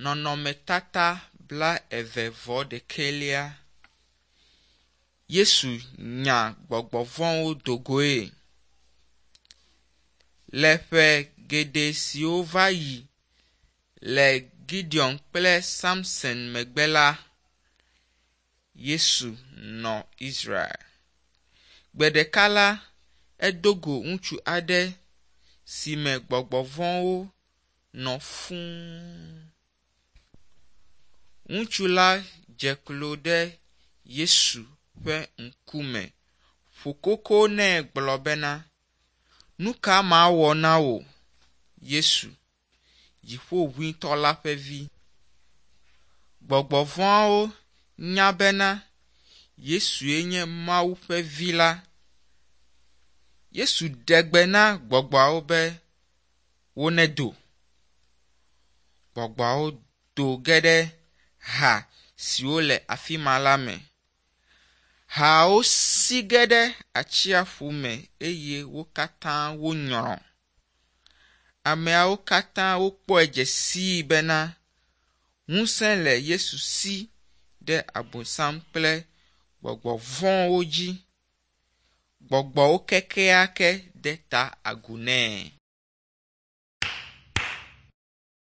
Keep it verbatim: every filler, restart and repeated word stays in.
Nɔnɔmetata blaeve vɔ ɖekɛlia. Yesu nya gbɔgbɔ vɔ̃wo do goe. Le ƒe geɖe siwo va yi le Gideon kple Samson megbe la, Yesu nɔ Israel. Gbe ɖeka la, edo go ŋutsu aɖe si me gbɔgbɔ vɔ̃wo nɔ fũu. Ŋutsu la dze klo ɖe Yesu ƒe ŋkume ƒo koko nɛ gblɔ bena, “Nu ka mawɔ na wò, Yesu, Dziƒoʋĩtɔ la ƒe Vi?” Gbɔgbɔ vɔ̃awo nya bena Yesue nye Mawu ƒe Vi la. Yesu ɖe gbe na gbɔgbɔawo be wonedo. Gbɔgbɔawo do ge ɖe ha siwo le afi ma la me. Hawo si ge ɖe atsiaƒu me eye wo katã wonyrɔ. Ameawo katã wokpɔe dze sii bena ŋusẽ le Yesu si ɖe Abosam kple gbɔgbɔ vɔ̃wo dzi. Gbɔgbɔwo kekeake de ta agu nɛ.